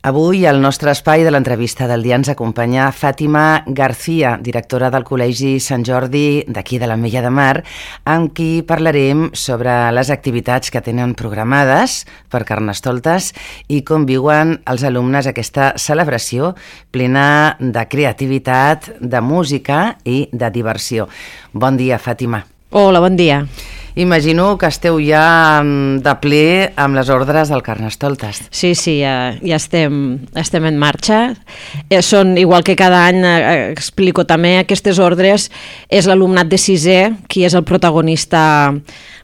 Avui al nostre espai de l'entrevista del dia ens acompanya Fàtima García, directora del Col·legi Sant Jordi d'aquí de l'Ametlla de Mar, amb qui parlarem sobre les activitats que tenen programades per Carnestoltes i com viuen els alumnes aquesta celebració plena de creativitat, de música i de diversió. Bon dia, Fàtima. Hola, bon dia. Imagino que esteu ja de ple amb les ordres del Carnestoltes. Sí, ja estem en marxa. Són, igual que cada any explico també, aquestes ordres és l'alumnat de sisè qui és el protagonista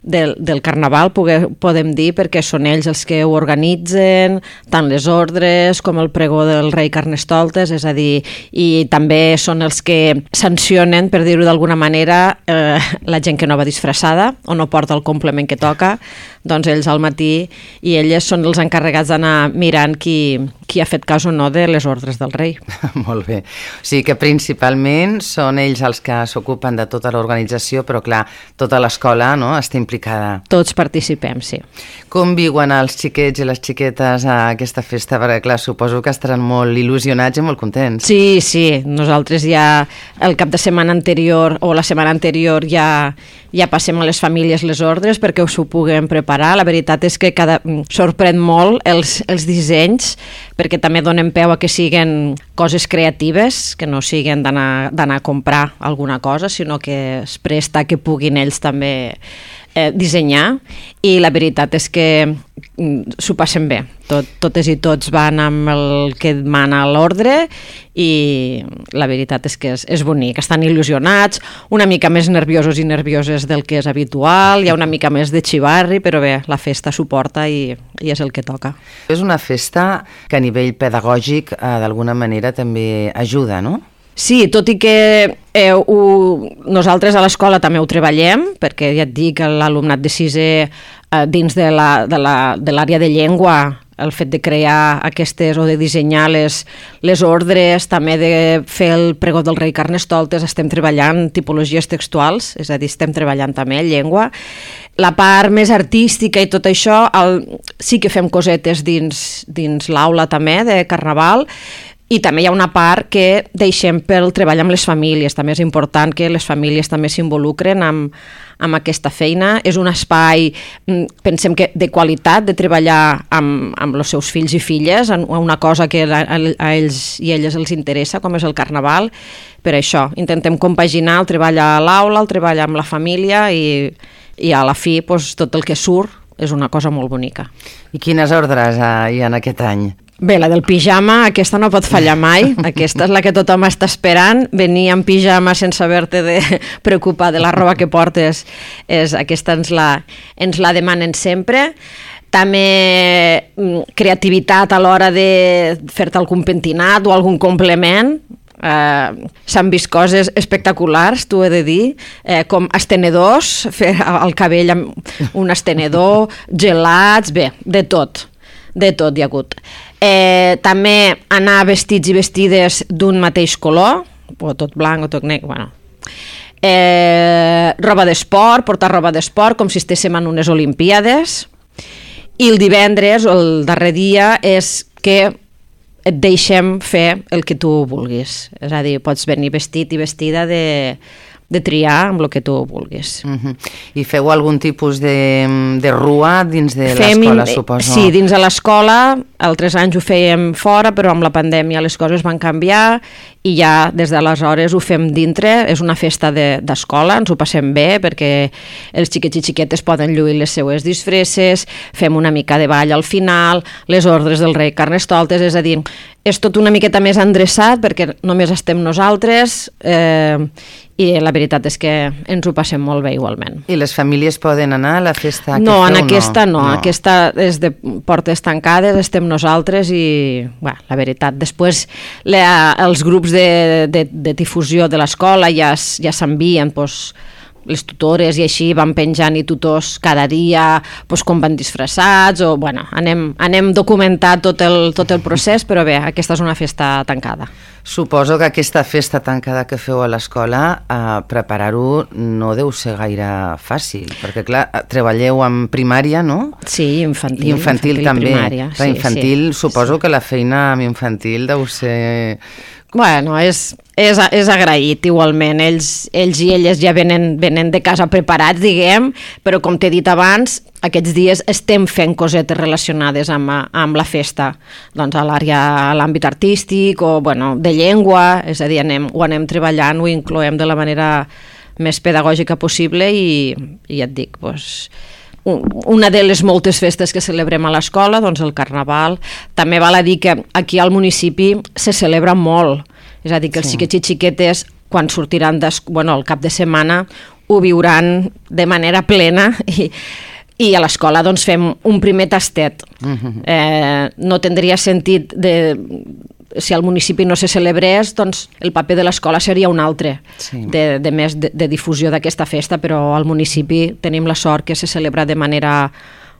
del Carnaval, podem dir, perquè són ells els que ho organitzen, tant les ordres com el pregó del rei Carnestoltes, és a dir, i també són els que sancionen, per dir-ho d'alguna manera, la gent que no va disfressada o no porta el complement que toca, doncs ells al matí i elles són els encarregats d'anar mirant qui ha fet cas o no de les ordres del rei. Molt bé. O sigui que principalment són ells els que s'ocupen de tota l'organització, però clar, tota l'escola, no?, està implicada. Tots participem, sí. Com viuen els xiquets i les xiquetes a aquesta festa? Perquè clar, suposo que estaran molt il·lusionats i molt contents. Sí, nosaltres ja el cap de setmana anterior o la setmana anterior ja passem a les famílies les ordres perquè us ho puguem preparar. La veritat és que sorprèn molt els dissenys, perquè també donen peu a que siguin coses creatives, que no siguin d'anar a comprar alguna cosa, sinó que es presta que puguin ells també dissenyar, i la veritat és que s'ho passen bé. Totes i tots van amb el que demana l'ordre i la veritat és que és bonic. Estan il·lusionats, una mica més nerviosos i nervioses del que és habitual, hi ha una mica més de xivarri, però bé, la festa suporta i és el que toca. És una festa que a nivell pedagògic d'alguna manera també ajuda, no? Sí, tot i que nosaltres a l'escola també ho treballem, perquè ja et dic, l'alumnat de sisè dins de l'àrea de llengua, el fet de crear aquestes o de dissenyar les ordres, també de fer el pregó del rei Carnestoltes, estem treballant tipologies textuals, és a dir, estem treballant també llengua. La part més artística i tot això, sí que fem cosetes dins l'aula també de Carnaval, i també hi ha una part que deixem pel treball amb les famílies. També és important que les famílies també s'involucren amb aquesta feina. És un espai, pensem que de qualitat, de treballar amb els seus fills i filles, una cosa que a ells i elles els interessa, com és el Carnaval. Per això, intentem compaginar el treball a l'aula, el treball amb la família i a la fi tot el que surt és una cosa molt bonica. I quines ordres hi ha en aquest any? Bé, la del pijama, aquesta no pot fallar mai, aquesta és la que tothom està esperant, venir en pijama sense haver-te de preocupar de la roba que portes, aquesta ens la demanen sempre. També creativitat a l'hora de fer-te algun pentinat o algun complement. S'han vist coses espectaculars, t'ho he de dir, com estenedors, fer el cabell amb un estenedor, gelats, bé, de tot hi ha hagut. També anar vestits i vestides d'un mateix color, o tot blanc o tot negre, bueno. Roba d'esport, portar roba d'esport com si estéssim en unes olimpíades, i el divendres o el darrer dia és que et deixem fer el que tu vulguis, és a dir, pots venir vestit i vestida de triar amb el que tu vulguis. I feu algun tipus de rua dins de l'escola, suposo? Sí, dins de l'escola, altres anys ho fèiem fora, però amb la pandèmia les coses van canviar i ja des d'aleshores ho fem dintre. És una festa d'escola, ens ho passem bé perquè els xiquets i xiquetes poden lluir les seues disfresses, fem una mica de ball al final, les ordres del rei Carnestoltes, és a dir, és tot una miqueta més endreçat perquè només estem nosaltres i la veritat és que ens ho passem molt bé igualment. I les famílies poden anar a la festa? No, en aquesta no. Aquesta és de portes tancades, estem nosaltres i la veritat, després els grups de difusió de l'escola ja s'envien les tutores i així van penjant i tutors cada dia doncs, com van disfressats o bueno, anem documentant tot el procés, però bé, aquesta és una festa tancada. Suposo que aquesta festa tancada que feu a l'escola, preparar-ho no deu ser gaire fàcil, perquè clar, treballeu amb primària, no? Sí, infantil també. Primària. Clar, infantil, suposo que la feina amb infantil deu ser... Bueno, és agraït igualment, ells i elles ja venen de casa preparats, diguem, però com t'he dit abans, aquests dies estem fent cosetes relacionades amb la festa, doncs a l'àmbit artístic o bueno, de llengua, és a dir, ho anem treballant, ho incloem de la manera més pedagògica possible i ja et dic, doncs, una de les moltes festes que celebrem a l'escola, doncs el Carnaval. També val a dir que aquí al municipi se celebra molt, és a dir, que els xiquets i xiquetes, quan sortiran al cap de setmana, ho viuran de manera plena i a l'escola doncs, fem un primer tastet. No tindria sentit si al municipi no se celebrés, doncs el paper de l'escola seria un altre, de més de difusió d'aquesta festa, però al municipi tenim la sort que se celebra de manera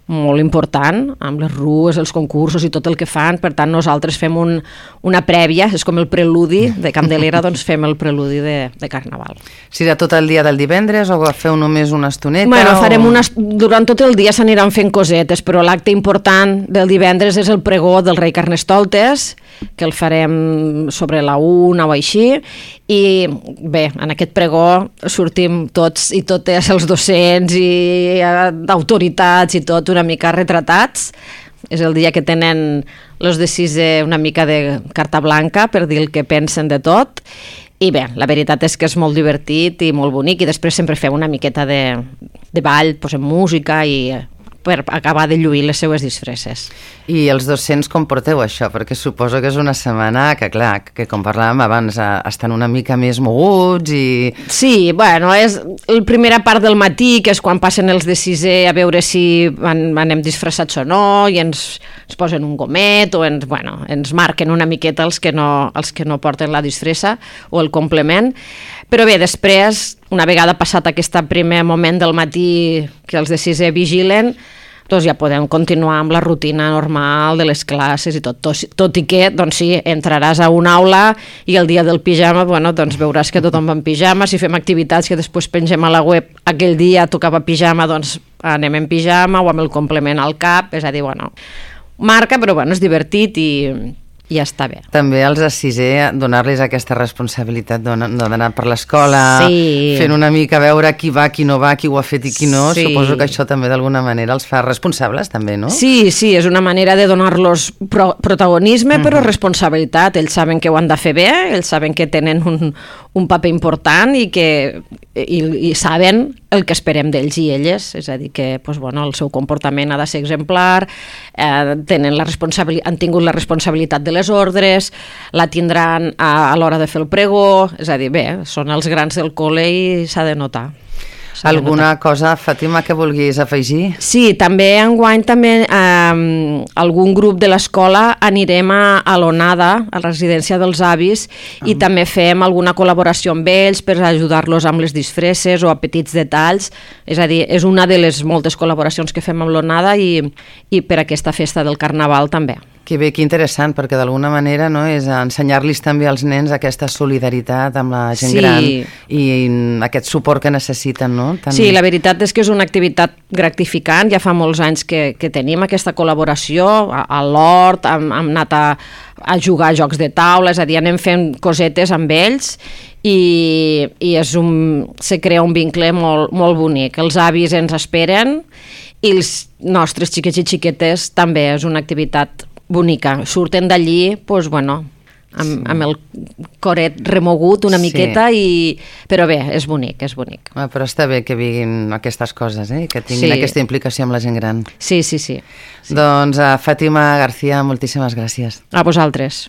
molt important, amb les rues, els concursos i tot el que fan, per tant nosaltres fem una prèvia, és com el preludi de Candelera, doncs fem el preludi de Carnaval. Serà tot el dia del divendres o feu només una estoneta? Bueno, durant tot el dia s'aniran fent cosetes, però l'acte important del divendres és el pregó del rei Carnestoltes, que el farem sobre la 1 o així, i bé, en aquest pregó sortim tots i totes els docents i autoritats i tot una mica retratats. És el dia que tenen els de sisè una mica de carta blanca per dir el que pensen de tot. I bé, la veritat és que és molt divertit i molt bonic i després sempre fem una miqueta de ball, posem música i per acabar de lluir les seues disfresses. I els docents com porteu això? Perquè suposo que és una setmana que, clar, que com parlàvem abans, estan una mica més moguts i... Sí, bueno, és la primera part del matí, que és quan passen els de sisè a veure si anem disfressats o no, i ens posen un gomet o ens marquen una miqueta els que no porten la disfressa o el complement. Però bé, després, una vegada passat aquest primer moment del matí que els de sisè vigilen, doncs ja podem continuar amb la rutina normal de les classes i tot i que, doncs sí, entraràs a una aula i el dia del pijama, bueno, doncs veuràs que tothom va en pijama, si fem activitats que després pengem a la web, aquell dia tocava pijama, doncs anem en pijama o amb el complement al cap, és a dir, bueno, marca, però bueno, és divertit i ja està bé. També als de sisè donar-los aquesta responsabilitat d'anar per l'escola, fent una mica veure qui va, qui no va, qui ho ha fet i qui no. Suposo que això també d'alguna manera els fa responsables també, no? Sí, és una manera de donar-los protagonisme però responsabilitat. Ells saben que ho han de fer bé, ells saben que tenen un paper important i saben el que esperem d'ells i elles, és a dir que el seu comportament ha de ser exemplar, han tingut la responsabilitat de les ordres, la tindran a l'hora de fer el pregó, és a dir, bé, són els grans del col·le i s'ha de notar. Alguna cosa, Fàtima, que vulguis afegir? Sí, també enguany algun grup de l'escola anirem a l'Onada, a la residència dels avis, i també fem alguna col·laboració amb ells per ajudar-los amb les disfresses o a petits detalls. És a dir, és una de les moltes col·laboracions que fem amb l'Onada i per aquesta festa del Carnaval també. Que bé, que interessant, perquè d'alguna manera és ensenyar-los també als nens aquesta solidaritat amb la gent gran i aquest suport que necessiten, no? Sí, la veritat és que és una activitat gratificant, ja fa molts anys que tenim aquesta col·laboració, a l'hort, hem anat a jugar a jocs de taula, és a dir, anem fent cosetes amb ells i se crea un vincle molt, molt bonic. Els avis ens esperen i els nostres xiquets i xiquetes també és una activitat bonica, surten d'allí amb el coret remogut una miqueta, però bé, és bonic, és bonic. Però està bé que vinguin aquestes coses, que tinguin aquesta implicació amb la gent gran. Sí. Doncs Fàtima García, moltíssimes gràcies. A vosaltres.